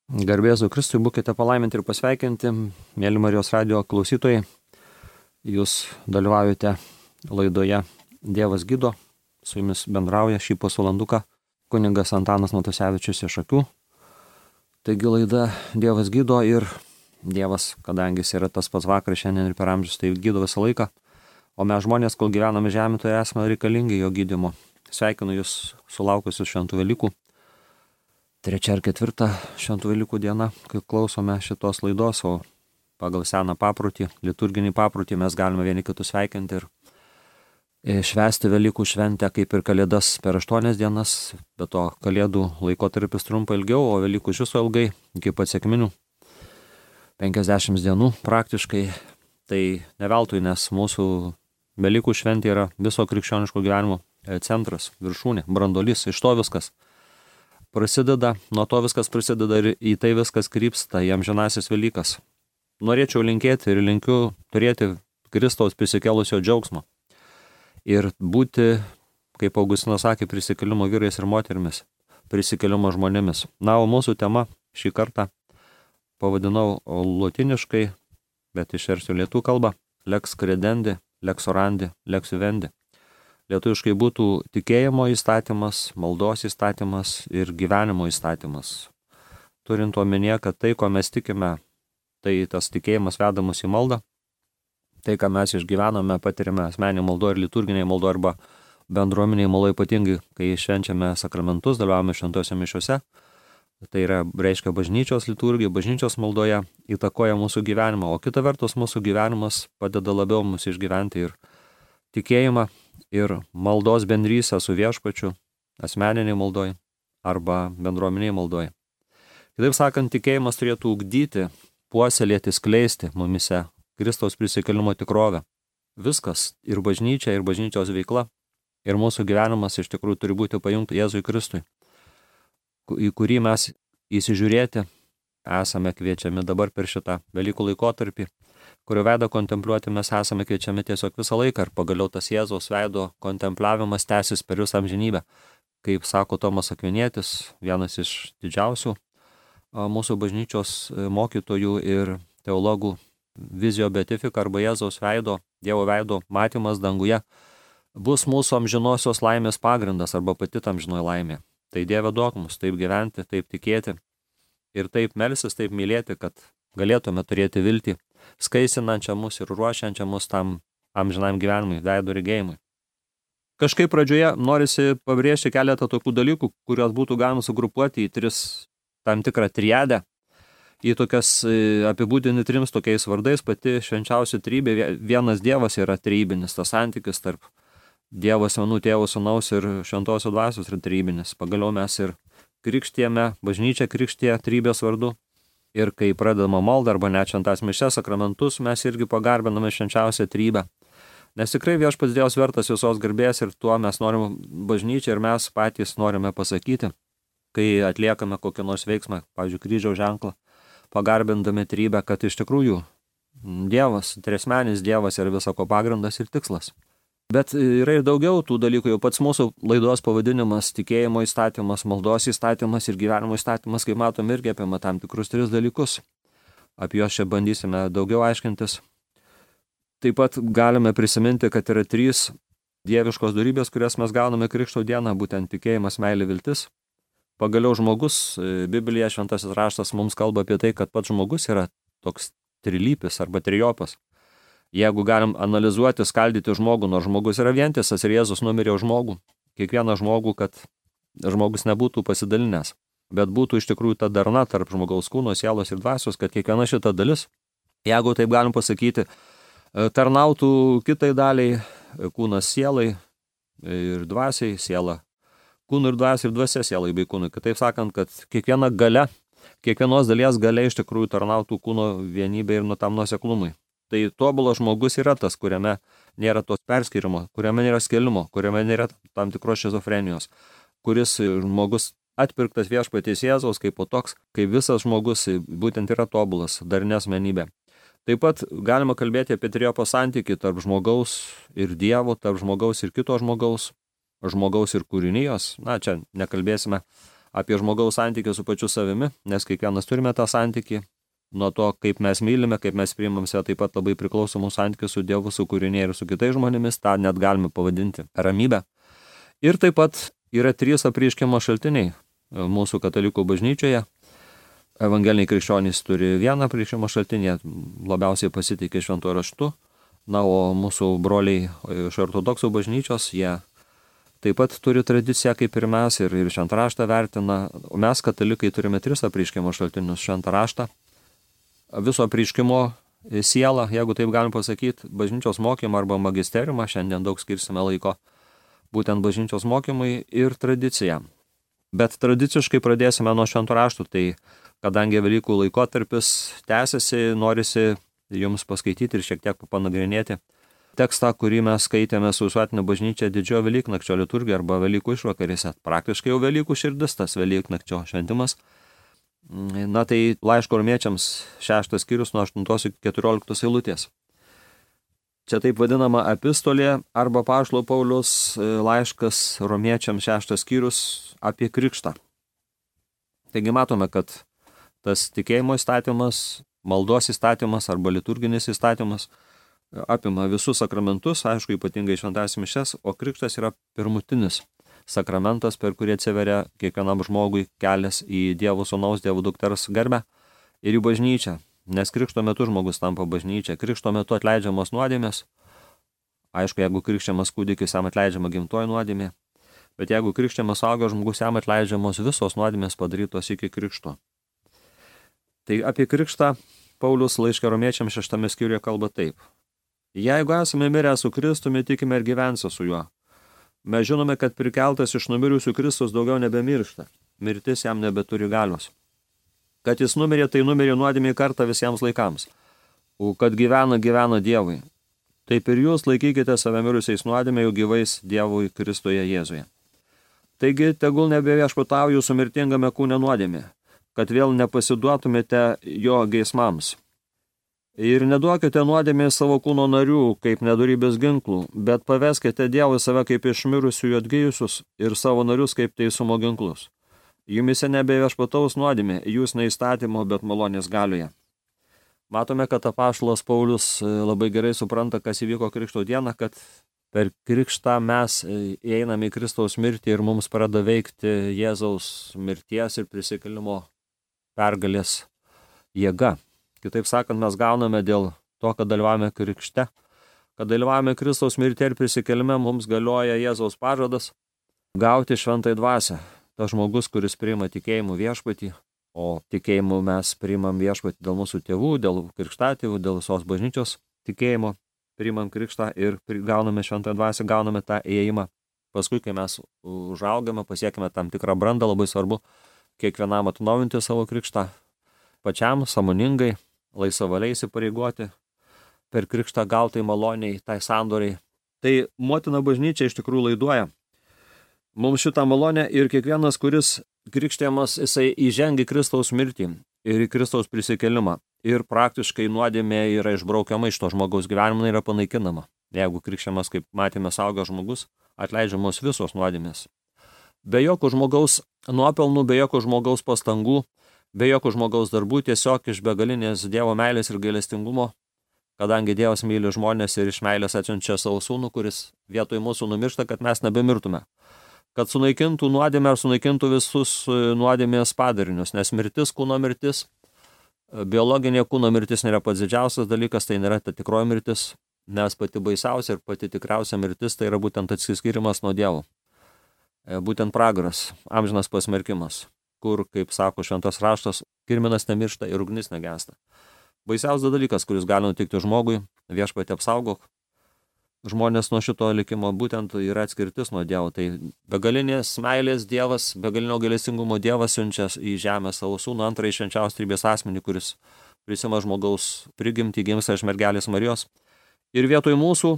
Garbėzu Kristui, būkite palaiminti ir pasveikinti, mėly Marijos radio klausytojai. Jūs dalyvaujate laidoje Dievas gydo, su jumis bendrauja šį pusvalanduką kunigas Antanas Matusevičius iš Šakių. Taigi laida Dievas gydo ir Dievas, kadangi jis yra tas pats vakar, šiandien ir per amžius, tai gydo visą laiką. O mes žmonės, kol gyvename žemėje, tai esame reikalingi jo gydymo. Sveikinu jūs sulaukusius šventų Velykų. 3 ar 4 šventų Velykų diena, kai klausome šitos laidos, o pagal seną paprotį, liturginį paprotį mes galime vieni kitus sveikinti ir švęsti Velykų šventę kaip ir Kalėdas per 8 dienas, bet to Kalėdų laikotarpis trumpa ilgiau, o Velykų iš viso ilgai, iki pat sekminių 50 dienų praktiškai. Tai neveltui, nes mūsų Velykų šventė yra viso krikščioniško gyvenimo centras, viršūnė, brandolys, iš to viskas prasideda, nuo to viskas prasideda ir į tai viskas krypsta, į amžinasis Velykas. Norėčiau linkėti ir linkiu turėti Kristaus prisikėlusio džiaugsmo ir būti, kaip Augustinas sakė, prisikėlimo vyrais ir moterimis, prisikėlimo žmonėmis. Na, o mūsų tema šį kartą pavadinau lotiniškai, bet išversiu lietuvių kalbą, lex credendi, lex orandi, lex vivendi. Lietuviškai būtų tikėjimo įstatymas, maldos įstatymas ir gyvenimo įstatymas. Turint omenyje, kad tai, ko mes tikime, tai tas tikėjimas veda mus į maldą. Tai, ką mes išgyvename, patirime asmeninį maldo ir liturginiai maldo arba bendruomeniai maldo, ypatingai, kai švenčiame sakramentus, dalyvavome šventose mišiuose. Tai yra, reiškia, bažnyčios liturgija, bažnyčios maldoje įtakoja mūsų gyvenimą, o kita vertus mūsų gyvenimas padeda labiau mus išgyventi ir tikėjimą, ir maldos bendrystę su viešpačiu, asmeniniai maldoj arba bendruomeniai maldoj. Kitaip sakant, tikėjimas turėtų ugdyti, puoselėti, skleisti mumise Kristaus prisikėlimo tikrovę. Viskas, ir bažnyčia, ir bažnyčios veikla, ir mūsų gyvenimas iš tikrųjų turi būti pajungti Jėzui Kristui, į kurį mes įsižiūrėti esame kviečiami dabar per šitą Velykų laikotarpį, kurio veidą kontempliuoti mes esame kviečiami tiesiog visą laiką ir pagaliau tas Jėzaus veido kontempliavimas tęsis per visą amžinybę. Kaip sako Tomas Akvinietis, vienas iš didžiausių mūsų bažnyčios mokytojų ir teologų, vizio beatifika arba Jėzaus veido, Dievo veido matymas danguje bus mūsų amžinosios laimės pagrindas arba pati amžinoji laimė. Tai Dieve duok mus taip gyventi, taip tikėti ir taip melstis, taip mylėti, kad galėtume turėti viltį, skaisinančią mus ir ruošiančią mus tam amžinam gyvenimui, veido regėjimui. Kažkaip pradžioje norisi pabrėžti keletą tokių dalykų, kuriuos būtų galima sugrupuoti į 3 tam tikrą triadę, į tokias apibūdinti 3 tokiais vardais. Pati švenčiausia trybė, vienas Dievas yra trybinis, tas santykis tarp Dievo asmenų, Tėvo, Sūnaus ir Šventosios Dvasios yra trybinis. Pagaliau mes ir krikštijame, bažnyčia krikštija trybės vardu. Ir kai pradedama malda arba net šventas mišias, sakramentus, mes irgi pagarbiname švenčiausią trybę. Nes tikrai viešpats Dievas vertas visos garbės ir tuo mes norime bažnyčią ir mes patys norime pasakyti, kai atliekame kokį nors veiksmą, pavyzdžiui, kryžiaus ženklą, pagarbindami trybę, kad iš tikrųjų Dievas, triasmenis Dievas yra visako pagrindas ir tikslas. Bet yra ir daugiau tų dalykų, jau pats mūsų laidos pavadinimas tikėjimo įstatymas, maldos įstatymas ir gyvenimo įstatymas, kaip matom, irgi apima tam tikrus 3 dalykus. Apie juos čia bandysime daugiau aiškintis. Taip pat galime prisiminti, kad yra 3 dieviškos dorybės, kurias mes gauname Krikšto dieną, būtent tikėjimas, meilė, viltis. Pagaliau žmogus, Biblija, šventasis raštas mums kalba apie tai, kad pats žmogus yra toks trilypis arba trijopas. Jeigu galim analizuoti, skaldyti žmogų, nors žmogus yra vientisas ir Jėzus numirė už žmogų, kiekvieną žmogų, kad žmogus nebūtų pasidalinęs, bet būtų iš tikrųjų ta darna tarp žmogaus kūno, sielos ir dvasios, kad kiekviena šita dalis, jeigu taip galim pasakyti, tarnautų kitai daliai, kūnas sielai ir dvasiai, siela kūnų ir dvasiai ir dvasia sielai bei kūnui. Kitaip sakant, kad kiekviena galia, kiekvienos dalies galia iš tikrųjų tarnautų kūno vienybė ir tam nuoseklumui. Tai tobulas žmogus yra tas, kuriame nėra tos perskirimo, kuriame nėra skelimo, kuriame nėra tam tikros šizofrenijos, kuris žmogus atpirktas viešpaties Jėzaus kaip po toks, kaip visas žmogus būtent yra tobulas, darni asmenybė. Taip pat galima kalbėti apie trijopo santykį tarp žmogaus ir Dievo, tarp žmogaus ir kito žmogaus ir kūrinijos. Na, čia nekalbėsime apie žmogaus santykį su pačiu savimi, nes kiekvienas turime tą santykį. Nuo to, kaip mes mylime, kaip mes priimam save, taip pat labai priklauso mūsų santykis su Dievu, su kūriniai ir su kitais žmonėmis, tą net galime pavadinti ramybę. Ir taip pat yra 3 apreiškimo šaltiniai mūsų katalikų bažnyčioje. Evangeliniai krikščionys turi vieną apreiškimo šaltinį, labiausiai pasitikė šventuoju raštu. Na, o mūsų broliai iš ortodoksų bažnyčios, jie taip pat turi tradiciją kaip ir mes ir šventą raštą vertina. O mes katalikai turime 3 apreiškimo šaltinius: šventą raštą, viso apreiškimo sielą, jeigu taip galim pasakyti, bažnyčios mokymą arba magisteriumą, šiandien daug skirsime laiko būtent bažnyčios mokymui, ir tradiciją. Bet tradiciškai pradėsime nuo šventų raštų, tai kadangi Velykų laikotarpis tęsiasi, norisi jums paskaityti ir šiek tiek panagrinėti tekstą, kurį mes skaitėme su visuotinė bažnyčia didžiojo Velyknakčio liturgija arba Velykų išvakarėse. Praktiškai jau Velykų širdis tas Velyknakčio šventimas. Na tai laiško romiečiams 6 skyrius nuo 8 iki 14 eilutės. Čia taip vadinama epistolė arba apaštalo Pauliaus laiškas romiečiams 6 skyrius apie krikštą. Taigi matome, kad tas tikėjimo įstatymas, maldos įstatymas arba liturginis įstatymas apima visus sakramentus, aišku, ypatingai šventąsias mišias, o krikštas yra pirmutinis sakramentas, per kurį atsiveria kiekvienam žmogui kelias į Dievo Sūnaus, Dievo dukters garbę ir į bažnyčią. Nes krikšto metu žmogus tampa bažnyčia, krikšto metu atleidžiamos nuodėmės. Aišku, jeigu krikščiamas kūdikis, jam atleidžiama gimtoji nuodėmė, bet jeigu krikščiamas suaugęs žmogus, jam atleidžiamos visos nuodėmės padarytos iki krikšto. Tai apie krikštą Paulius laiške romiečiams 6 skyriuje kalba taip. Jeigu esame mirę su Kristumi, tikime ir gyvensime su juo. Mes žinome, kad prikeltas iš numirusių Kristus daugiau nebemiršta. Mirtis jam nebeturi galios. Kad jis numirė, tai numirė nuodėmei kartą visiems laikams. O kad gyvena Dievui. Taip ir jūs laikykite save mirusiais nuodėmei, jau gyvais Dievui Kristuje Jėzuje. Taigi, tegul nebeviešpatauja jūsų mirtingame kūne nuodėmė, kad vėl nepasiduotumėte jo geismams. Ir neduokite nuodėmė savo kūno narių, kaip nedorybės ginklų, bet paveskite Dievui save kaip iš mirusiųjų atgijusius ir savo narius kaip teisumo ginklus. Jumise nebeviešpataus nuodėmė, jūs ne įstatymo, bet malonės galioje. Matome, kad apaštalas Paulius labai gerai supranta, kas įvyko Krikšto dieną, kad per Krikštą mes įeiname į Kristaus mirtį ir mums pradeda veikti Jėzaus mirties ir prisikėlimo pergalės jėga. Kitaip sakant, mes gauname dėl to, kad dalyvavome Krikšte, kad dalyvavome Kristaus mirtį ir prisikėlime, mums galioja Jėzaus pažadas gauti šventąją dvasią. Tas žmogus, kuris priima tikėjimų viešpatį, o tikėjimu mes priimam viešpatį dėl mūsų tėvų, dėl krikštatėvų, dėl visos bažnyčios tikėjimo, priimam krikštą ir gauname šventąją dvasią, gauname tą įėjimą. Paskui, kai mes užaugame, pasiekime tam tikrą brandą, labai svarbu kiekvienam atnaujinti savo krikštą, pačiam sąmoningai, laisvavaliai įsipareigoti per krikštą gautai maloniai, tai sandoriai. Tai motina bažnyčia iš tikrųjų laiduoja mums šitą malonę ir kiekvienas, kuris krikštijamas, jisai įžengia Kristaus mirtį ir į Kristaus prisikėlimą. Ir praktiškai nuodėmė yra išbraukiama iš to žmogaus gyvenimo, yra panaikinama. Jeigu krikštijamas, kaip matėme, saugęs žmogus, atleidžiamos visos nuodėmės. Be jokių žmogaus nuopelnų, be jokių žmogaus pastangų, be jokių žmogaus darbų, tiesiog iš begalinės Dievo meilės ir gailestingumo, kadangi Dievas myli žmonės ir iš meilės atsiunčia savo sūnų, kuris vietoj mūsų numiršta, kad mes nebemirtume. Kad sunaikintų nuodėmę ar sunaikintų visus nuodėmės padarinius, nes mirtis, kūno mirtis, biologinė kūno mirtis nėra pats didžiausias dalykas, tai nėra ta tikroji mirtis, nes pati baisiausia ir pati tikriausia mirtis tai yra būtent atsiskyrimas nuo Dievo. Būtent pragaras, amžinas pasmerkimas, kur, kaip sako šventas raštas, kirminas nemiršta ir ugnis negęsta. Baisiausias dalykas, kuris gali nutikti žmogui, viešpatį apsaugok. Žmonės nuo šito likimo būtent yra atskirtis nuo Dievo. Tai begalinės meilės Dievas, begalinio gailestingumo Dievas siunčia į žemę savo sūnų, antrąjį švenčiausios trejybės asmenį, kuris prisima žmogaus prigimtį, gimsta iš mergelės Marijos. Ir vietoj mūsų,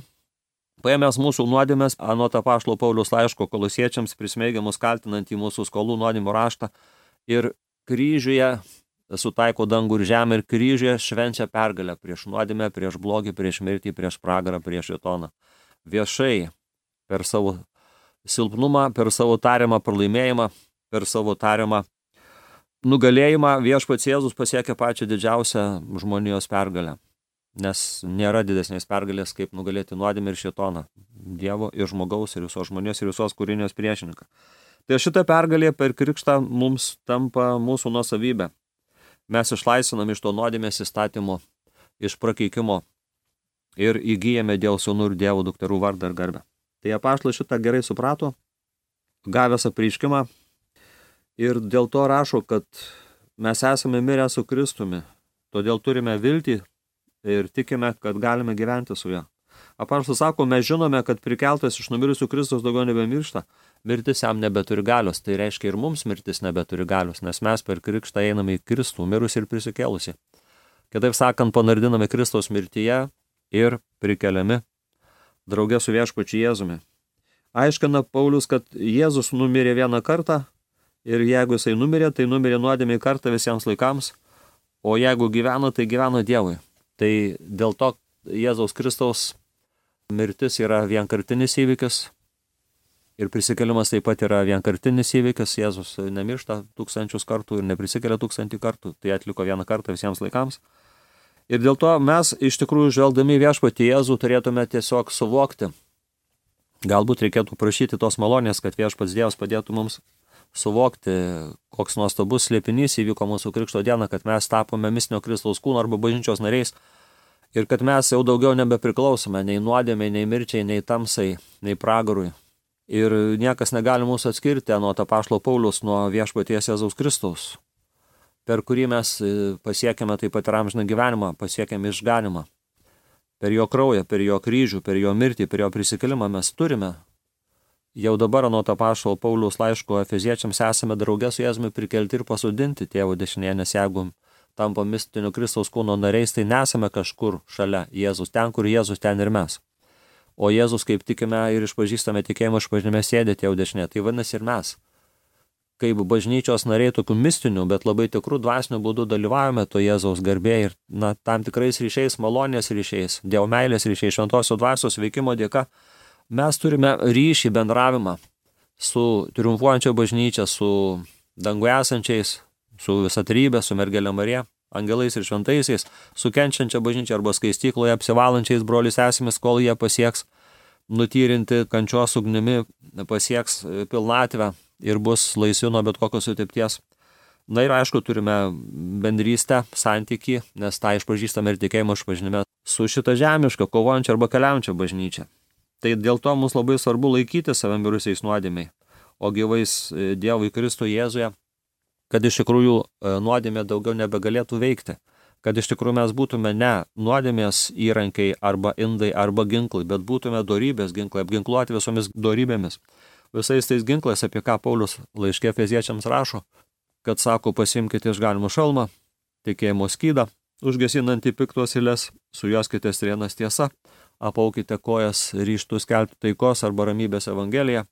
paėmęs mūsų nuodėmes, anot apaštalo Pauliaus laiško Kolosiečiams, prismeigiamus kaltinant į mūsų skolų nuodėmių raštą, ir kryžiuje sutaiko dangų ir žemę, ir kryžiuje švenčia pergalę prieš nuodėmę, prieš blogį, prieš mirtį, prieš pragarą, prieš šėtoną. Viešai per savo silpnumą, per savo tariamą pralaimėjimą, per savo tariamą nugalėjimą viešpats Jėzus pasiekė pačią didžiausią žmonijos pergalę. Nes nėra didesnės pergalės, kaip nugalėti nuodėmę ir šėtoną, Dievo ir žmogaus ir visos žmonijos ir visos kūrinijos priešininką. Tai šita pergalė per krikštą mums tampa mūsų nuosavybė. Mes išlaisvinam iš to nuodėmės įstatymo, iš prakeikimo ir įgyjame Dievo sūnų ir Dievo dukterų vardą ir garbę. Tai apaštalai šitą gerai suprato, gavęs apreiškimą ir dėl to rašo, kad mes esame mirę su Kristumi, todėl turime viltį ir tikime, kad galime gyventi su juo. Apaštalas sako, mes žinome, kad prikeltas iš numirusių Kristus daugiau nebemiršta, mirtis jam nebeturi galios, tai reiškia ir mums mirtis nebeturi galios, nes mes per krikštą einame į Kristų, mirusį ir prisikėlusį. Kitaip sakant, panardiname Kristaus mirtyje ir prikeliami drauge su viešpačiu Jėzumi. Aiškina Paulius, kad Jėzus numirė vieną kartą ir jeigu jisai numirė, tai numirė nuodėmei kartą visiems laikams, o jeigu gyveno, tai gyveno Dievui. Tai dėl to Jėzaus Kristaus mirtis yra vienkartinis įvykis ir prisikėlimas taip pat yra vienkartinis įvykis. Jėzus nemiršta 1000 kartų ir neprisikelia 1000 kartų, tai atliko vieną kartą visiems laikams. Ir dėl to mes iš tikrųjų žvelgdami viešpatį Jėzų turėtume tiesiog suvokti. Galbūt reikėtų prašyti tos malonės, kad viešpats Dievas padėtų mums suvokti, koks nuostabus slėpinys įvyko mūsų krikšto dieną, kad mes tapome mistinio Kristaus kūno arba bažnyčios nariais ir kad mes jau daugiau nebepriklausome nei nuodėmei, nei mirčiai, nei tamsai, nei pragarui. Ir niekas negali mūsų atskirti nuo apaštalo Pauliaus, nuo viešpaties Jėzaus Kristaus, per kurį mes pasiekėme taip pat ir amžiną gyvenimą, pasiekėme išganimą. Per jo kraują, per jo kryžių, per jo mirtį, per jo prisikėlimą mes turime. Jau dabar nuo apaštalo Pauliaus laiško Efeziečiams esame drauge su Jėzumi prikelti ir pasodinti Tėvo dešinėje, nes jeigu tampa mistinio Kristaus kūno nariais, tai nesame kažkur šalia Jėzus, ten, kur Jėzus, ten ir mes. O Jėzus, kaip tikime ir išpažįstame tikėjimo išpažinime, sėdė Tėvo dešinėje, tai vadinasi ir mes. Kaip bažnyčios nariai tokių mistinių, bet labai tikrų dvasinių būdų dalyvavome to Jėzaus garbėje ir tam tikrais ryšiais, malonės ryšiais, Dievo meilės ryšiais, šventosios dvasios veikimo dėka, mes turime ryšį, bendravimą su triumfuojančia bažnyčia, su danguje esančiais, su visa trybė, su mergelė Marija, angelais ir šventaisiais, su kenčiančia bažnyčia arba skaistykloje apsivalančiais broliais sesėmis, kol jie pasieks nutyrinti kančios ugnimi, pasieks pilnatvę ir bus laisvi nuo bet kokios sutepties. Na ir aišku, turime bendrystę, santykį, nes tą išpažįstame ir tikėjimo išpažinime su šita žemiška, kovojančia arba keliaujančia bažnyčia. Tai dėl to mums labai svarbu laikyti save mirusiais nuodėmiai, o gyvais Dievui Kristui Jėzuje, kad iš tikrųjų nuodėmė daugiau nebegalėtų veikti, kad iš tikrųjų mes būtume ne nuodėmės įrankiai arba indai arba ginklai, bet būtume dorybės ginklai, apginkluoti visomis dorybėmis. Visais tais ginklais, apie ką Paulius laiške Efeziečiams rašo, kad sako, pasimkite išganimo šalmą, tikėjimo skydą, užgesinantį piktos eilės, sujuoskite strėnas tiesa, apaukite kojas ryžtų skelbti taikos arba ramybės evangeliją,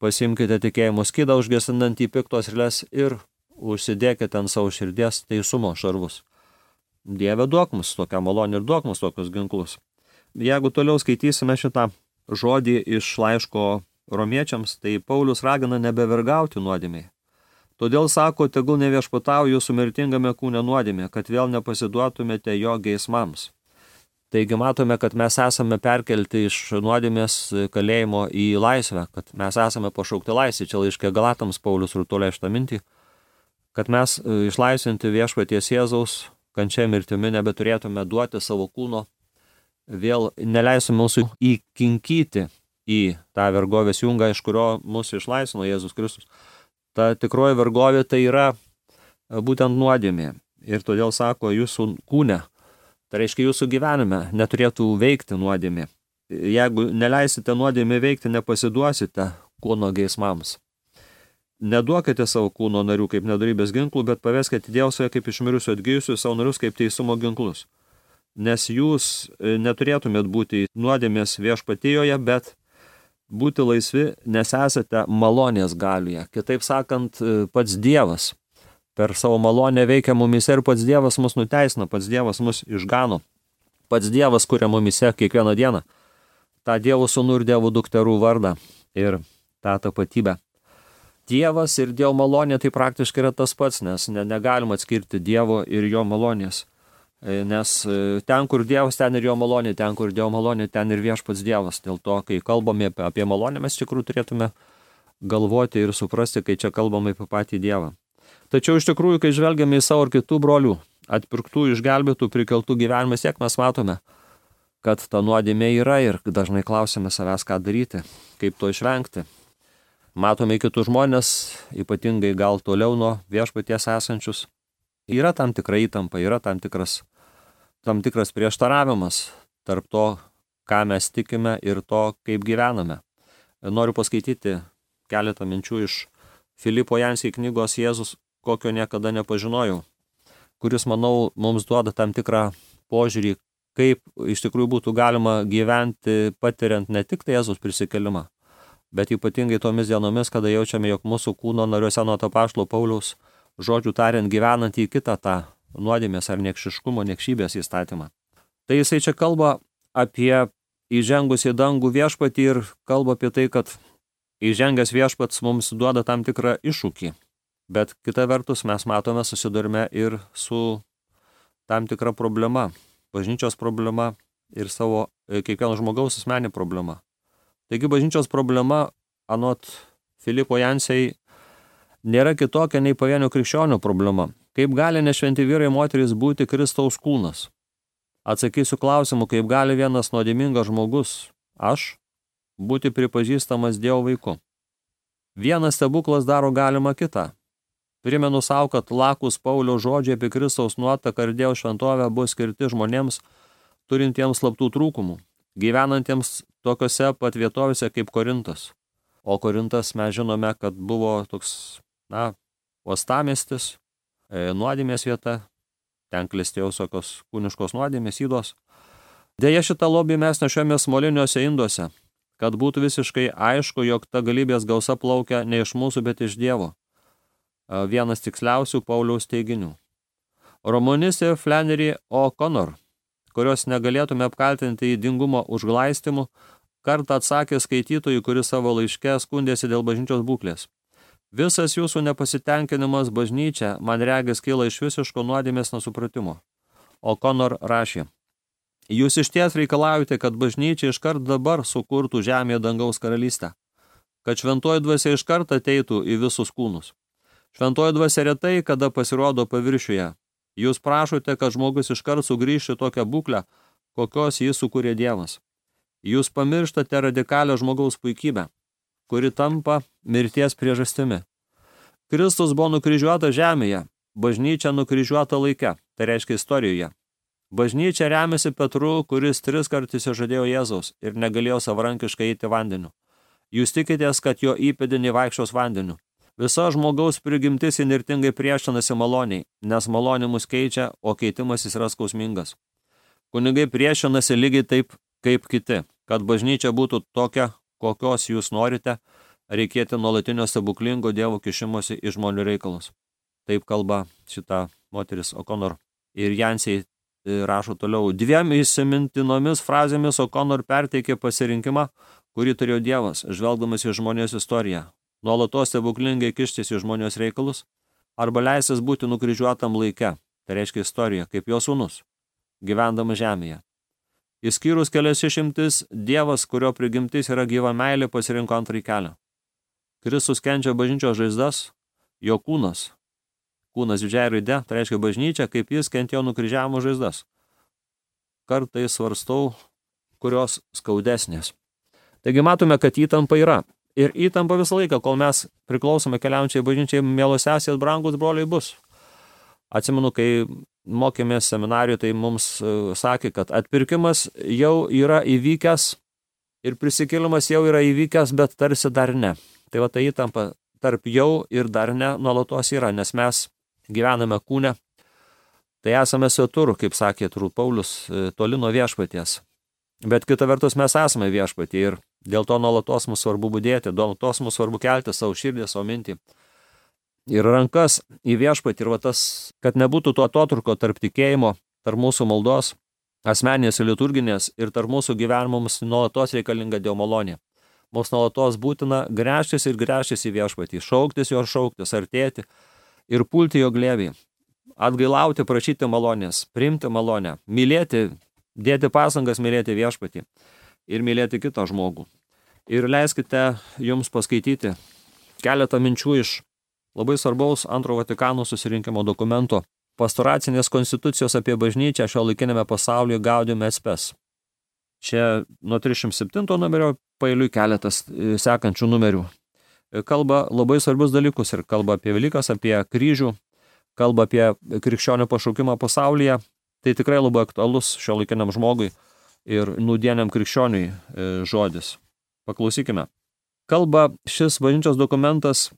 pasimkite tikėjimo skydą, užgesinantį piktos eilės ir užsidėkite ant savo širdies teisumo šarvus. Dieve, duok mums tokią malonę ir duok mums tokius ginklus. Jeigu toliau skaitysime šitą žodį iš laiško Romiečiams, tai Paulius ragina nebevergauti nuodėmiai. Todėl sako, tegul neviešpatauja jūsų mirtingame kūne nuodėmė, kad vėl nepasiduotumėte jo geismams. Taigi matome, kad mes esame perkelti iš nuodėmės kalėjimo į laisvę, kad mes esame pašaukti laisvę. Čia laiške Galatams Paulius rutulė šitą mintį, kad mes išlaisvinti viešpaties Jėzaus kančia mirtimi nebeturėtume duoti savo kūno, vėl neleisime mūsų įkinkyti į tą vergovės jungą, iš kurio mūsų išlaisvino Jėzus Kristus. Ta tikroji vergovė tai yra būtent nuodėmė. Ir todėl sako, jūsų kūne, tai reiškia jūsų gyvenime, neturėtų veikti nuodėmė. Jeigu neleisite nuodėmė veikti, nepasiduosite kūno geismams. Neduokite savo kūno narių kaip nedorybės ginklų, bet paveskite Dievui kaip iš mirusių atgijusių savo narius kaip teisumo ginklus. Nes jūs neturėtumėt būti nuodėmės viešpatijoje, bet būti laisvi, nes esate malonės galioje. Kitaip sakant, pats Dievas per savo malonę veikia mumise ir pats Dievas mus nuteisina, pats Dievas mus išgano. Pats Dievas kuria mumise kiekvieną dieną tą Dievo sūnų ir Dievo dukterų vardą ir tą tapatybę. Dievas ir Dievo malonė tai praktiškai yra tas pats, nes negalima atskirti Dievo ir jo malonės. Nes ten, kur Dievas, ten ir jo malonė, ten, kur Dievo malonė, ten ir viešpats Dievas. Dėl to, kai kalbame apie malonę, mes iš tikrųjų turėtume galvoti ir suprasti, kai čia kalbame apie patį Dievą. Tačiau iš tikrųjų, kai žvelgiame į savo ir kitų brolių, atpirktų, išgelbėtų, prikeltų gyvenimą, siek mes matome, kad ta nuodėmė yra ir dažnai klausime savęs, ką daryti, kaip to išvengti. Matome kitus žmonės, ypatingai gal toliau nuo viešpaties esančius. Yra tam tikra įtampa, yra tam tikras prieštaravimas tarp to, ką mes tikime ir to, kaip gyvename. Noriu paskaityti keletą minčių iš Filipo Jansiai knygos Jėzus, kokio niekada nepažinojau, kuris, manau, mums duoda tam tikrą požiūrį, kaip iš tikrųjų būtų galima gyventi, patiriant ne tik tai Jėzus prisikelimą, bet ypatingai tomis dienomis, kada jaučiame, jog mūsų kūno nariuose nuo apaštalo Pauliaus žodžių tariant gyvenant į kitą tą nuodėmės ar niekšiškumo, niekšybės įstatymą. Tai jisai čia kalba apie įžengus į dangų viešpatį ir kalba apie tai, kad įžengęs viešpats mums duoda tam tikrą iššūkį, bet kita vertus mes matome, susidurime ir su tam tikra problema, bažnyčios problema ir savo kiekvieno žmogaus asmeninė problema. Taigi bažnyčios problema, anot Filipo Jansiai, nėra kitokia nei pavienio krikščionių problema. Kaip gali nešventi vyrai moterys būti Kristaus kūnas? Atsakysiu klausimu, kaip gali vienas nuodėmingas žmogus, aš, būti pripažįstamas Dievo vaiku. Vienas stebuklas daro galima kitą. Primenu savo, kad lakus Pauliaus žodžiai apie Kristaus nuotaką ir Dievo šventovę bus skirti žmonėms, turintiems slaptų trūkumų, gyvenantiems tokiose pat vietovėse kaip Korintas. O Korintas mes žinome, kad buvo toks, uostamiestis, nuodėmės vieta, ten klestėjo visokios kūniškos nuodėmės, ydos. Deja, šitą lobį mes nešiomės moliniuose induose, kad būtų visiškai aišku, jog ta galybės gausa plaukia ne iš mūsų, bet iš Dievo. Vienas tiksliausių Pauliaus teiginių. Romanistė Flannery O'Connor, kurios negalėtume apkaltinti įdingumo užglaistimu, kartą atsakė skaitytojui, kuris savo laiške skundėsi dėl bažnyčios būklės. Visas jūsų nepasitenkinimas bažnyčia, man regis, kyla iš visiško nuodėmės nesupratimo. O'Connor rašė: jūs išties reikalaujate, kad bažnyčia iškart dabar sukurtų žemėje dangaus karalystę, kad šventoji dvasia iškart ateitų į visus kūnus. Šventoji dvasia retai, kada pasirodo paviršiuje. Jūs prašote, kad žmogus iškart sugrįžtų tokią būklę, kokios jis sukūrė Dievas. Jūs pamirštate radikalią žmogaus puikybę, kuri tampa mirties priežastimi. Kristus buvo nukryžiuota žemėje, bažnyčia nukryžiuota laike, tai reiškia istorijoje. Bažnyčia remiasi Petru, kuris 3 kartus žadėjo Jėzaus ir negalėjo savarankiškai eiti vandeniu. Jūs tikitės, kad jo įpėdiniai vaikščios vandeniu. Visa žmogaus prigimtis įnirtingai priešinasi maloniai, nes malonė mus keičia, o keitimasis yra skausmingas. Kunigai priešinasi lygiai taip, kaip kiti. Kad bažnyčia būtų tokia, kokios jūs norite, reikėtų nuolatinio stebuklingo Dievo kišimosi į žmonių reikalus. Taip kalba šita moteris O'Connor. Ir Jansiai rašo toliau. 2 įsimintinomis frazėmis O'Connor perteikė pasirinkimą, kurį turėjo Dievas, žvelgdamas į žmonijos istoriją. Nuolatos stebuklingai kištis į žmonijos reikalus, arba leistis būti nukryžiuotam laike, tai reiškia istorija, kaip jo sūnus, gyvendamas žemėje. Išskyrus kelias išimtis, Dievas, kurio prigimtis yra gyva meilė, pasirinko antrąjį kelią. Kristus kenčia bažnyčios žaizdas, jo kūnas didžiąja raide, tai reiškia bažnyčia, kaip jis kentėjo nukryžiavimo žaizdas. Kartais svarstau, kurios skaudesnės. Taigi matome, kad įtampa yra. Ir įtampa visą laiką, kol mes priklausome keliaujančiai bažnyčiai, mielos sesės, brangus broliai, bus. Atsimenu, kai mokėmės seminarijoje, tai mums sakė, kad atpirkimas jau yra įvykęs ir prisikėlimas jau yra įvykęs, bet tarsi dar ne. Tai va ta įtampa tarp jau ir dar ne nuolatos yra, nes mes gyvename kūne. Tai esame svetur, kaip sakė turbūt Paulius, toli nuo viešpaties. Bet kita vertus mes esame viešpatie ir dėl to nuolatos mums svarbu budėti, nuolatos mums svarbu kelti savo širdį, savo mintį ir rankas į viešpatį. Ir va tas, kad nebūtų to atotrūkio tarp tikėjimo, tarp mūsų maldos, asmeninės ir liturginės, ir tarp mūsų gyvenimo mums nuolatos reikalinga Dievo malonė. Mums nuolatos būtina gręžtis ir gręžtis į viešpatį, šauktis jo, šauktis, artėti ir pulti jo glėbį, atgailauti, prašyti malonės, priimti malonę, mylėti, dėti pasangas mylėti viešpatį ir mylėti kitą žmogų. Ir leiskite jums paskaityti keletą minčių iš labai svarbaus Antrojo Vatikano susirinkimo dokumento Pastoracinės konstitucijos apie bažnyčią šiuolaikinėme pasaulyje Gaudium et Spes. Čia nuo 307 numerio paeiliui keletas sekančių numerių. Kalba labai svarbius dalykus ir kalba apie Velykas, apie kryžių, kalba apie krikščionių pašaukimą pasaulyje. Tai tikrai labai aktualus šiuolaikiniam žmogui ir nūdieniam krikščioniui žodis. Paklausykime. Kalba šis bažnyčios dokumentas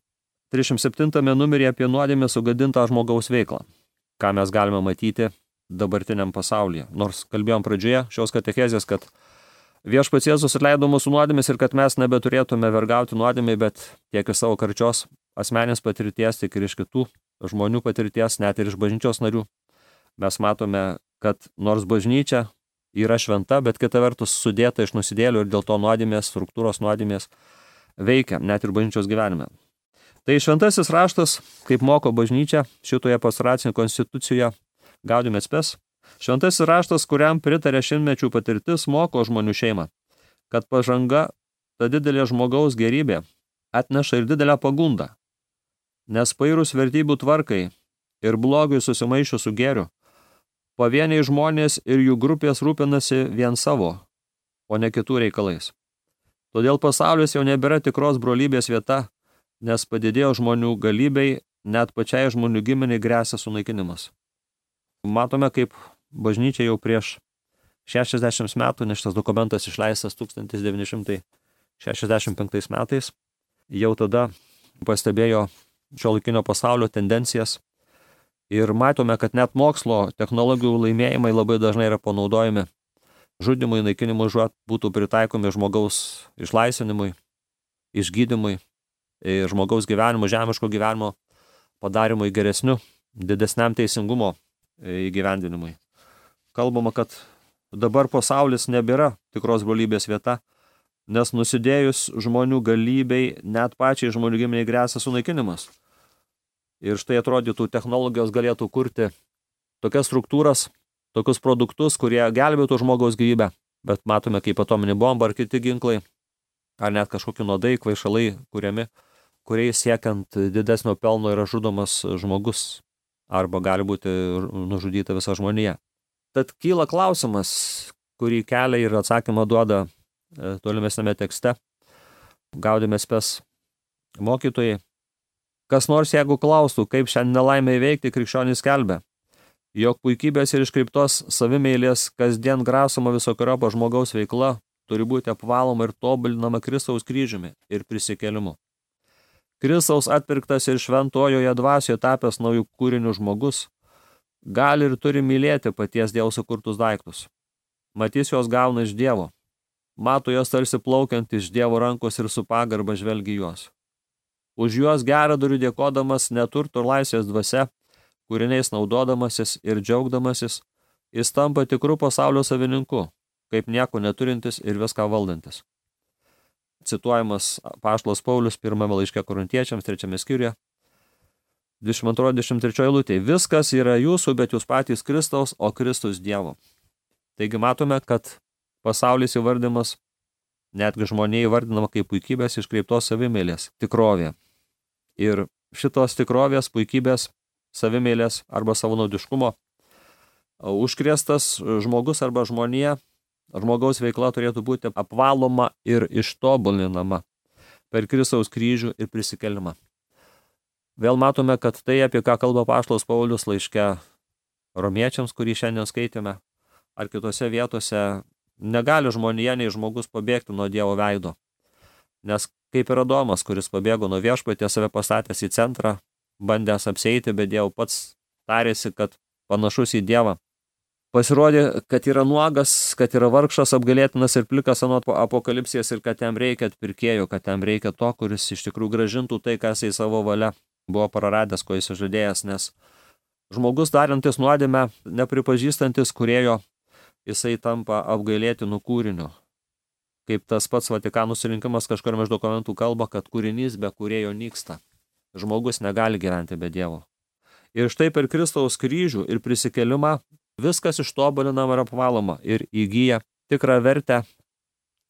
307 numeryje apie nuodėmę sugadintą žmogaus veiklą, ką mes galime matyti dabartiniam pasaulyje. Nors kalbėjom pradžioje šios katechezės, kad viešpats Jėzus atleido mūsų nuodėmes ir kad mes nebeturėtume vergauti nuodėmei, bet tiek iš savo karčios asmenės patirties, tiek ir iš kitų žmonių patirties, net ir iš bažnyčios narių. Mes matome, kad nors bažnyčia yra šventa, bet kita vertus sudėta iš nusidėlių ir dėl to nuodėmės, struktūros nuodėmės veikia net ir bažnyčios gyvenime. Tai šventasis raštas, kaip moko bažnyčia šitoje pastoracinėje konstitucijoje Gaudium et Spes, šventasis raštas, kuriam pritarė šimtmečių patirtis, moko žmonių šeimą, kad pažanga, ta didelė žmogaus gerybė, atneša ir didelę pagundą, nes pairus vertybių tvarkai ir blogiui susimaišius su gėriu, pavieniai žmonės ir jų grupės rūpinasi vien savo, o ne kitų reikalais. Todėl pasaulis jau nebėra tikros brolybės vieta, nes padidėjo žmonių galybei, net pačiai žmonių giminiai gresia sunaikinimas. Matome, kaip bažnyčia jau prieš 60 metų, nes šitas dokumentas išleistas 1965 metais, jau tada pastebėjo šiuolaikinio pasaulio tendencijas ir matome, kad net mokslo technologijų laimėjimai labai dažnai yra panaudojami žudimui, naikinimui, būtų pritaikomi žmogaus išlaisvinimui, išgydymui, žmogaus gyvenimo, žemiško gyvenimo padarimui geresniu, didesniam teisingumo įgyvendinimui. Kalbama, kad dabar pasaulis nebėra tikros brolybės vieta, nes nusidėjus žmonių galybei, net pačiai žmonių giminiai gresia sunaikinimas. Ir štai atrodytų, technologijos galėtų kurti tokias struktūras, tokius produktus, kurie gelbėtų žmogaus gyvybę, bet matome, kaip atominė bomba ar kiti ginklai, ar net kažkokie nuodai, kvaišalai kuriami, kuriais siekiant didesnio pelno yra žudomas žmogus, arba gali būti nužudyta visa žmonija. Tad kyla klausimas, kurį kelia ir atsakymą duoda tolimesnėme tekste Gaudium et Spes mokytojai. Kas nors, jeigu klaustų, kaip šią nelaimę įveikti, krikščionys skelbia, jog puikybės ir iškreiptos savimeilės kasdien grasoma visokiojopa žmogaus veikla turi būti apvaloma ir tobulinama Kristaus kryžiumi ir prisikėlimu. Kristaus atpirktas ir šventojoje dvasioje tapęs naujų kūrinių žmogus gali ir turi mylėti paties Dievo sukurtus daiktus. Matys jos gauna iš Dievo. Mato jos tarsi plaukiant iš Dievo rankos ir su pagarba žvelgi juos. Už juos geradorių dėkodamas neturto ir laisvės dvasia, kūriniais naudodamasis ir džiaugdamasis, jis tampa tikrų pasaulio savininku, kaip nieko neturintis ir viską valdantis. Cituojamas apaštalas Paulius pirmame laiške Korintiečiams, 3 skyriuje, 22-23 eilutėje. Viskas yra jūsų, bet jūs patys Kristaus, o Kristus Dievo. Taigi matome, kad pasaulis įvardimas, netgi žmonė įvardinama kaip puikybės iškreiptos savimeilės tikrovė. Ir šitos tikrovės, puikybės, savimeilės arba savanaudiškumo užkrėstas žmogus arba žmonija, žmogaus veikla turėtų būti apvaloma ir ištobulinama per Kristaus kryžių ir prisikėlimą. Vėl matome, kad tai, apie ką kalba apaštalas Paulius laiške romiečiams, kurį šiandien skaitėme, ar kitose vietose, negali žmonija nei žmogus pabėgti nuo Dievo veido. Nes kaip ir Adomas, kuris pabėgo nuo viešpaties, save pastatęs į centrą, bandęs apsieiti, bet Dievo pats tarėsi, kad panašus į Dievą. Pasirodė, kad yra nuogas, kad yra vargšas, apgailėtinas ir plikas anot apokalipsės ir kad jam reikia atpirkėjo, kad jam reikia to, kuris iš tikrųjų gražintų tai, kas į savo valia buvo praradęs, ko jis žadėjęs, nes žmogus darantis nuodėmę, nepripažįstantis kūrėjo, jisai tampa apgailėtinu kūriniu. kaip tas pats Vatikano susirinkimas kažkur iš dokumentų kalba, kad kūrinys be kūrėjo nyksta. Žmogus negali gyventi be Dievo. Ir štai per Kristaus kryžių ir prisikėlimą viskas ištobulinama ir apvaloma ir įgyja tikrą vertę,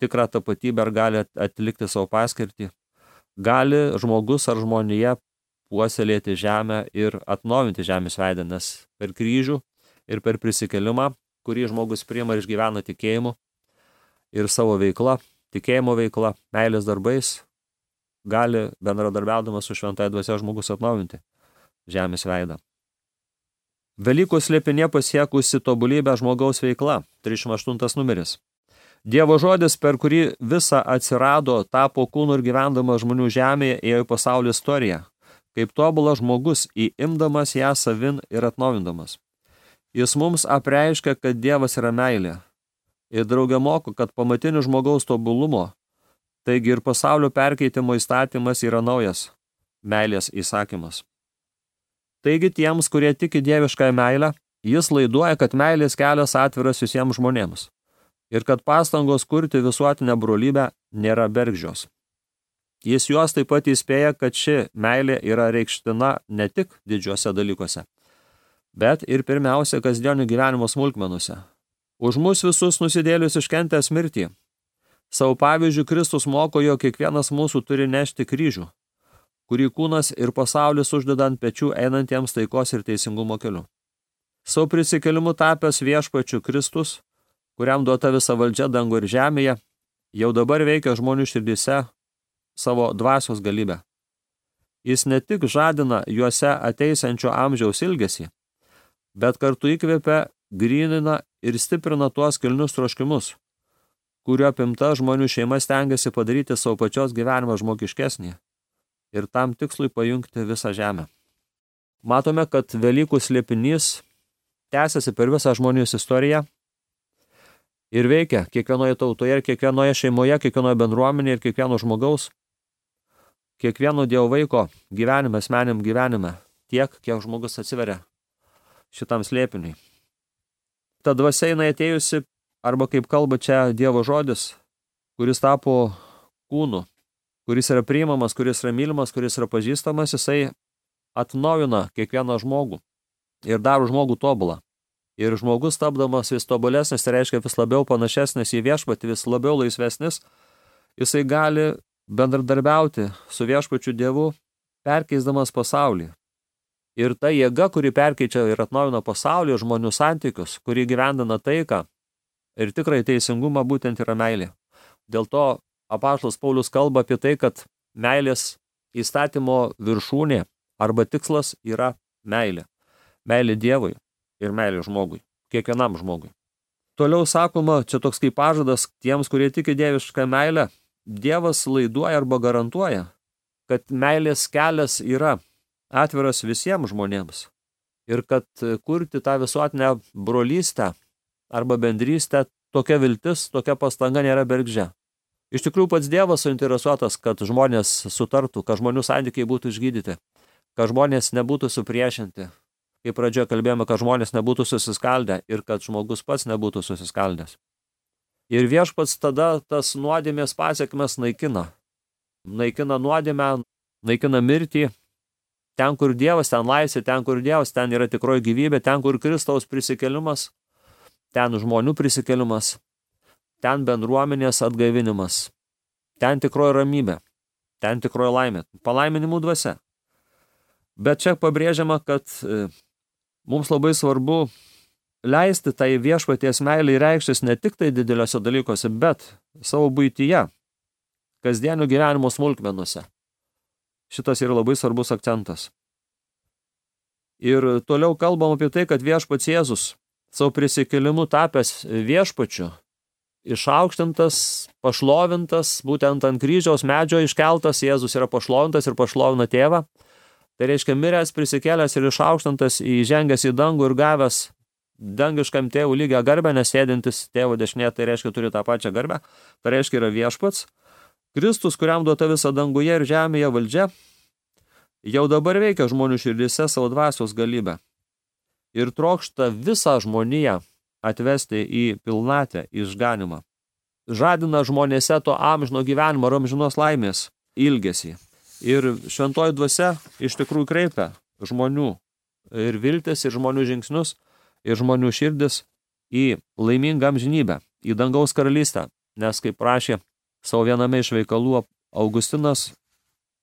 tikrą tapatybę ar gali atlikti savo paskirtį. Gali žmogus ar žmonija puoselėti žemę ir atnaujinti žemės veidą, nes per kryžių ir per prisikėlimą, kurį žmogus priima ir išgyvena tikėjimu ir savo veikla, tikėjimo veikla, meilės darbais, gali bendradarbiaudamas su šventąja dvasia žmogus atnaujinti žemės veidą. Velykų slėpinė pasiekusi tobulybę žmogaus veikla, 38 numeris. Dievo žodis, per kurį visa atsirado, tapo kūnu ir gyvendama žmonių žemėje, ėjo į pasaulio istoriją, kaip tobulas žmogus, įimdamas ją savin ir atnaujindamas. Jis mums apreiškia, kad Dievas yra meilė. Ir draugė moko, kad pamatinių žmogaus tobulumo, taigi ir pasaulio perkeitimo įstatymas yra naujas meilės įsakymas. Taigi tiems, kurie tiki dieviškąją meilę, jis laiduoja, kad meilės kelias atviras visiems žmonėms ir kad pastangos kurti visuotinę brolybę nėra bergždžios. Jis juos taip pat įspėja, kad ši meilė yra reikština ne tik didžiuose dalykuose, bet ir pirmiausia kasdienio gyvenimo smulkmenuose. Už mus visus nusidėlius iškentęs mirtį. Savo pavyzdžių Kristus moko, jog kiekvienas mūsų turi nešti kryžių, kurį kūnas ir pasaulis uždeda ant pečių einantiems taikos ir teisingumo keliu. Savo prisikėlimu tapęs viešpačiu Kristus, kuriam duota visa valdžia dangu ir žemėje, jau dabar veikia žmonių širdyse savo dvasios galybę. Jis ne tik žadina juose ateisiančio amžiaus ilgesį, bet kartu įkvepia, grynina ir stiprina tuos kilnius troškimus, kurio apimta žmonių šeima stengiasi padaryti savo pačios gyvenimą žmogiškesnį ir tam tikslui pajungti visą žemę. Matome, kad Velykų slėpinys tęsiasi per visą žmonijos istoriją ir veikia kiekvienoje tautoje ir kiekvienoje šeimoje, kiekvienoje bendruomenėje ir kiekvieno žmogaus, kiekvieno Dievo vaiko gyvenime, asmeniniam gyvenime, tiek, kiek žmogus atsiveria šitam slėpiniui. Ta dvasia jinai atėjusi, arba kaip kalba čia Dievo žodis, kuris tapo kūnu, kuris yra priimamas, kuris yra mylimas, kuris yra pažįstamas, jisai atnaujina kiekvieną žmogų ir daro žmogų tobulą. Ir žmogus tapdamas vis tobulesnis, tai reiškia vis labiau panašesnis į viešpatį, vis labiau laisvesnis, jisai gali bendradarbiauti su viešpačiu Dievu, perkeisdamas pasaulį. Ir ta jėga, kuri perkeičia ir atnaujina pasaulį, žmonių santykius, kuri gyvendina taiką ir tikrai teisingumą, būtent yra meilė. Dėl to apaštalas Paulius kalba apie tai, kad meilės įstatymo viršūnė arba tikslas yra meilė. Meilė Dievui ir meilė žmogui, kiekvienam žmogui. Toliau sakoma, čia toks kaip pažadas tiems, kurie tiki dievišką meilę, Dievas laiduoja arba garantuoja, kad meilės kelias yra atviras visiems žmonėms ir kad kurti tą visuotinę brolystę arba bendrystę, tokia viltis, tokia pastanga nėra bergždžia. Iš tikrųjų, pats Dievas suinteresuotas, kad žmonės sutartų, kad žmonių santykiai būtų išgydyti, kad žmonės nebūtų supriešinti. Kaip pradžioje kalbėjome, kad žmonės nebūtų susiskaldę ir kad žmogus pats nebūtų susiskaldęs. Ir viešpats tada tas nuodėmės pasiekmes naikina. Naikina nuodėmę, naikina mirtį. Ten, kur Dievas, ten laisvė, ten, kur Dievas, ten yra tikroji gyvybė, ten, kur Kristaus prisikėlimas, ten žmonių prisikėlimas, ten bendruomenės atgaivinimas, ten tikroji ramybė, ten tikroji laimė, palaiminimų dvasia. Bet čia pabrėžiama, kad mums labai svarbu leisti tai viešpaties meilei reikštis ne tik tai dideliuose dalykuose, bet savo buityje, kasdienio gyvenimo smulkmenuose. Šitas yra labai svarbus akcentas. Ir toliau kalbam apie tai, kad viešpats Jėzus savo prisikėlimu tapęs viešpačiu, išaukštintas, pašlovintas, būtent ant kryžiaus medžio iškeltas, Jėzus yra pašlovintas ir pašlovina tėvą. Tai reiškia miręs, prisikėlęs ir išaukštintas, įžengęs į dangų ir gavęs dangiškam tėvų lygią garbę, nes sėdintis tėvo dešinėje, tai reiškia turi tą pačią garbę, tai reiškia yra viešpats. Kristus, kuriam duota visa danguje ir žemėje valdžia, jau dabar veikia žmonių širdyse savo dvasios galybę ir trokšta visą žmoniją atvesti į pilnatę, išganimą. žadina žmonėse to amžino gyvenimo ir amžinos laimės ilgesį. Ir šventoji dvasia iš tikrųjų kreipia žmonių ir viltis, ir žmonių žingsnius, ir žmonių širdis į laimingą amžinybę, į dangaus karalystę. Nes, kaip prašė savo viename iš veikalų Augustinas,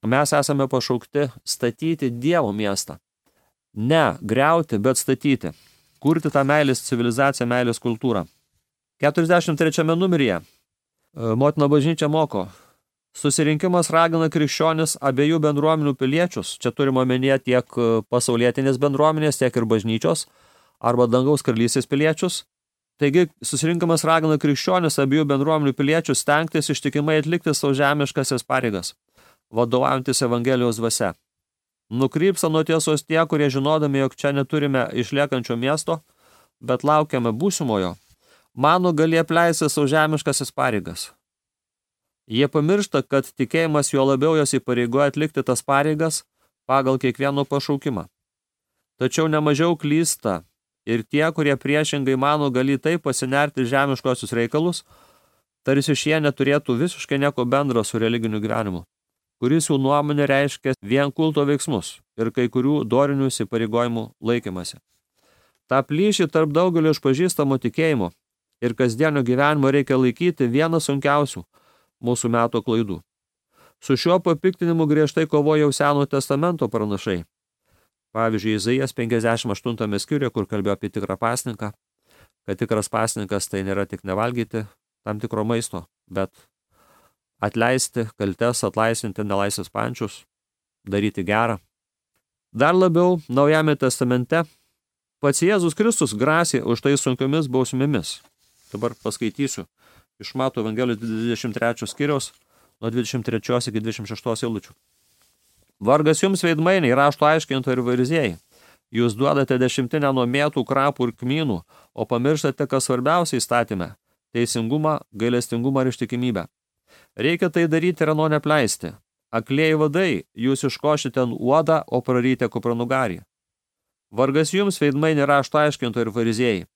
mes esame pašaukti statyti Dievo miestą. Ne griauti, bet statyti. Kurti tą meilės civilizaciją, meilės kultūrą. 43 numeryje Motina bažnyčia moko: susirinkimas ragina krikščionis abiejų bendruomenių piliečius, čia turime omenyje tiek pasaulietinės bendruomenės, tiek ir bažnyčios, arba dangaus karalystės piliečius. Taigi, susirinkimas ragina krikščionis abiejų bendruomenių piliečius stengtis ištikimai atlikti savo žemiškasias pareigas, vadovaujantis Evangelijos dvasia. Nukrypsta nuo tiesos tie, kurie žinodami, jog čia neturime išliekančio miesto, bet laukiame būsimojo, mano gali apleisti savo žemiškasias pareigas. Jie pamiršta, kad tikėjimas juo labiau jos įpareigoja atlikti tas pareigas pagal kiekvieno pašaukimą. Tačiau nemažiau klysta ir tie, kurie priešingai mano gali taip pasinerti žemiškosius reikalus, tarsi šie neturėtų visiškai nieko bendro su religiniu gyvenimu, kuris jų nuomonė reiškia vien kulto veiksmus ir kai kurių dorinių įsipareigojimų laikymasi. Ta plyšį tarp daugelio išpažįstamo tikėjimo ir kasdienio gyvenimo reikia laikyti vieną sunkiausių mūsų meto klaidų. Su šiuo papiktinimu griežtai kovoja jau Senojo testamento pranašai. Pavyzdžiui, Izaijas 58 skyriuje, kur kalbėjo apie tikrą pasninką, kad tikras pasninkas tai nėra tik nevalgyti tam tikro maisto, bet atleisti kaltes, atlaisvinti nelaisvės pančius, daryti gerą. Dar labiau, Naujame testamente pats Jėzus Kristus grasė už tai sunkiomis bausmėmis. Dabar paskaitysiu iš Mato Evangelijos 23 skyriaus nuo 23 iki 26 eilučių. Vargas jums veidmainiai, rašto aiškintojai ir fariziejai. Jūs duodate dešimtinę nuo mėtų, krapų ir kmynų, o pamirštate, kas svarbiausia įstatyme – teisingumą, gailestingumą ir ištikimybę. Reikia tai daryti ir ano nepleisti. Aklieji vadai, jūs iškošite uodą, o praryte kupranugarį. Vargas jums veidmainiai, rašto aiškintojai ir fariziejai.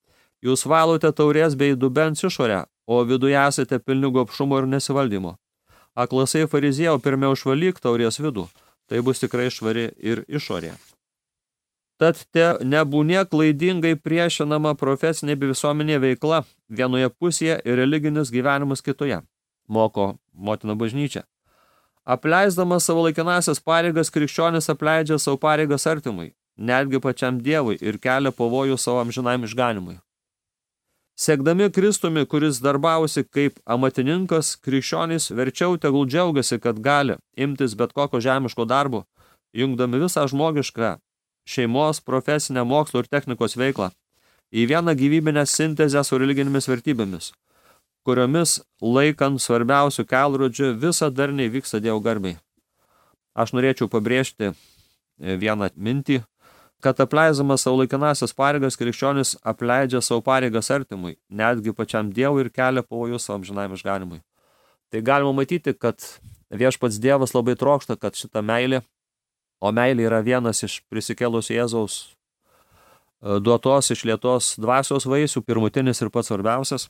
Jūs valote taurės bei dubens išorę, o viduje esate pilni gobšumo ir nesivaldymo. Aklasai fariziejau, pirmiau išvalyk taurės vidų. Tai bus tikrai švari ir išorė. Tad te nebūnė klaidingai priešinama profesinė bei visuomenė veikla vienoje pusėje ir religinis gyvenimas kitoje, moko Motina bažnyčia. Apleisdamas savo laikinasias pareigas, krikščionis apleidžia savo pareigas artimui, netgi pačiam Dievui ir kelia pavojų savo amžinam išganimui. Sekdami Kristumi, kuris darbavosi kaip amatininkas, krikščionys verčiau tegul džiaugiasi, kad gali imtis bet kokio žemiško darbo, jungdami visą žmogišką šeimos, profesinę, mokslo ir technikos veiklą į vieną gyvybinę sintezę su religinėmis vertybėmis, kuriomis laikant svarbiausių kelrodžių visa darniai vyksta Dievo garbei. Aš norėčiau pabrėžti vieną mintį, kad apleisdamas savo laikinasias pareigas, krikščionis apleidžia savo pareigas artimui, netgi pačiam Dievui ir kelia pavojus savo amžinam išganimui. Tai galima matyti, kad viešpats Dievas labai trokšta, kad šita meilė, o meilė yra vienas iš prisikėlusio Jėzaus duotos išlietos dvasios vaisių, pirmutinis ir pats svarbiausias,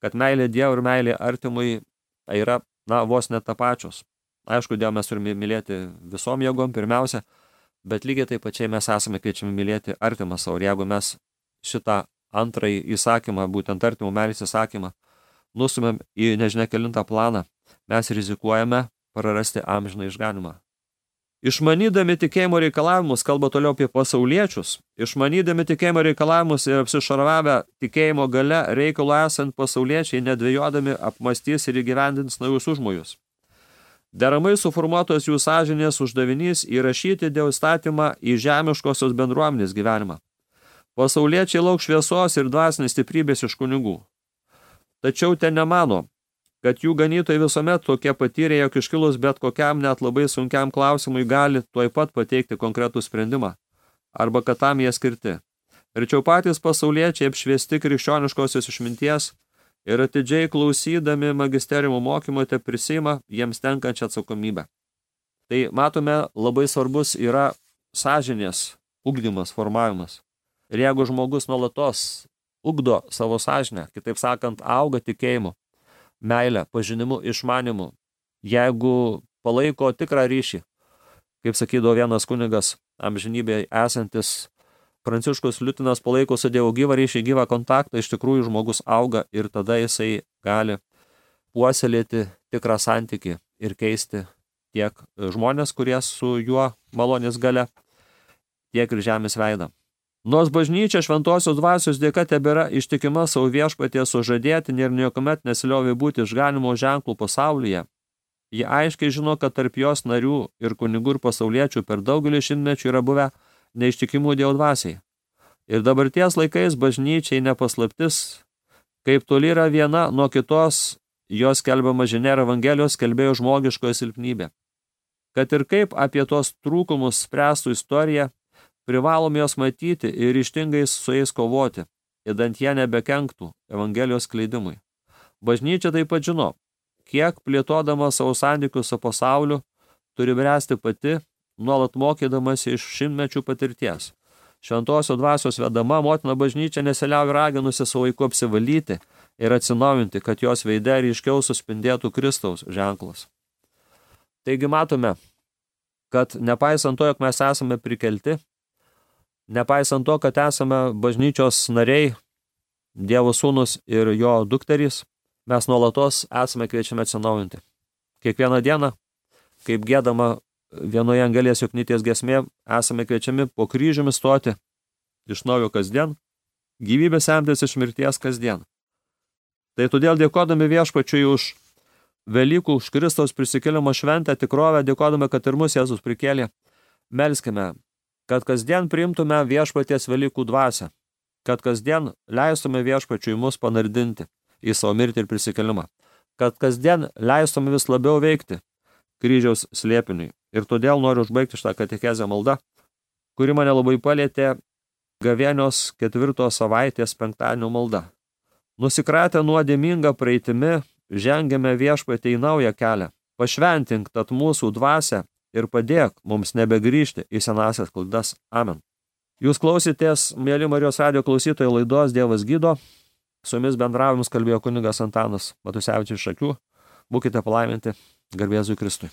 kad meilė Dievui ir meilė artimui yra, vos net tapačios. Aišku, Dievą mes turime mylėti visom jėgom pirmiausia, bet lygiai taip pačiai mes esame kviečiami mylėti artimą savo. Ir jeigu mes šitą antrąjį įsakymą, būtent artimų meilės įsakymą, nustumėm į nežinia kelintą planą, mes rizikuojame prarasti amžiną išganimą. Išmanydami tikėjimo reikalavimus, kalba toliau apie pasauliečius, išmanydami tikėjimo reikalavimus ir apsišarvavę tikėjimo gale reikalo esant pasauliečiai nedvejodami apmastys ir įgyvendins naujus užmojus. Deramai suformuotos jų sąžinės uždavinys įrašyti Dievo įstatymą į žemiškosios bendruomenės gyvenimą. Pasauliečiai lauk šviesos ir dvasinės stiprybės iš kunigų. Tačiau ten nemano, kad jų ganytojai visuomet tokie patyrė, jog iškilus bet kokiam net labai sunkiam klausimui gali tuoj pat pateikti konkretų sprendimą, arba kad tam jie skirti. Rečiau patys pasauliečiai apšviesti krikščioniškosios išminties ir atidžiai klausydami magisteriumo mokymo te prisima jiems tenkančią atsakomybę. Tai matome, labai svarbus yra sąžinės ugdymas, formavimas. Ir jeigu žmogus nuolatos ugdo savo sąžinę, kitaip sakant, auga tikėjimu, meilę, pažinimu, išmanimu, jeigu palaiko tikrą ryšį, kaip sakydavo vienas kunigas amžinybėje esantis Pranciškus Liutinas, palaiko su Dievu gyvą ryšį, gyvą kontaktą, iš tikrųjų žmogus auga ir tada jisai gali puoselėti tikrą santykį ir keisti tiek žmonės, kurie su juo malonės galia, tiek ir žemės veidą. Nors bažnyčia šventosios dvasios dėka tebėra ištikima savo viešpaties sužadėtinė ir niekuomet nesiliovė būti išganimo ženklų pasaulyje, ji aiškiai žino, kad tarp jos narių ir kunigų ir pasauliečių per daugelį šimtmečių yra buvę neištikimų Dievo dvasiai. Ir dabarties laikais bažnyčiai nepaslaptis, kaip toli yra viena nuo kitos jos skelbiama žinia ir Evangelijos skelbėjo žmogiškoje silpnybė. Kad ir kaip apie tos trūkumus spręstų istorija, privalom jos matyti ir ryžtingai su jais kovoti, idant jie nebekenktų Evangelijos skleidimui. Bažnyčia taip pat žino, kiek plėtodama savo santykius su pasauliu turi bręsti pati, nuolat mokydamas iš šimtmečių patirties. Šventosios dvasios vedama motina bažnyčia nesiliauja raginusi savo vaiku apsivalyti ir atsinaujinti, kad jos veide ryškiau suspindėtų Kristaus ženklas. Taigi matome, kad nepaisant to, jog mes esame prikelti, nepaisant to, kad esame bažnyčios nariai, Dievo sūnus ir jo dukterys, mes nuolatos esame kviečiami atsinaujinti. Kiekvieną dieną, kaip giedama vienoje Angelės Joknytės giesmė, esame kviečiami po kryžiumi stoti iš naujo kasdien, gyvybę semtis iš mirties kasdien. Tai todėl dėkodami viešpačiui už Velykų, už Kristaus prisikėlimo šventę tikrovę, dėkodami, kad ir mus Jėzus prikėlė, melskime, kad kasdien priimtume viešpaties Velykų dvasią, kad kasdien leistume viešpačiui mus panardinti į savo mirtį ir prisikėlimą, kad kasdien leistume vis labiau veikti kryžiaus slėpiniui. Ir todėl noriu užbaigti šitą katekezę maldą, kuri mane labai palietė gavėnios 4 savaitės penktadienio malda. Nusikratę nuodėmingą praeitimi, žengiame viešpatį į naują kelią. Pašventink tad mūsų dvasią ir padėk mums nebegrįžti į senasias klaidas. Amen. Jūs klausėtės, mėly Marijos radijo klausytojai, laidos Dievas gydo. Su jumis bendravimus kalbėjo kunigas Antanas Matusevičius iš Šakių. Būkite palaiminti, garbė Jėzui Kristui.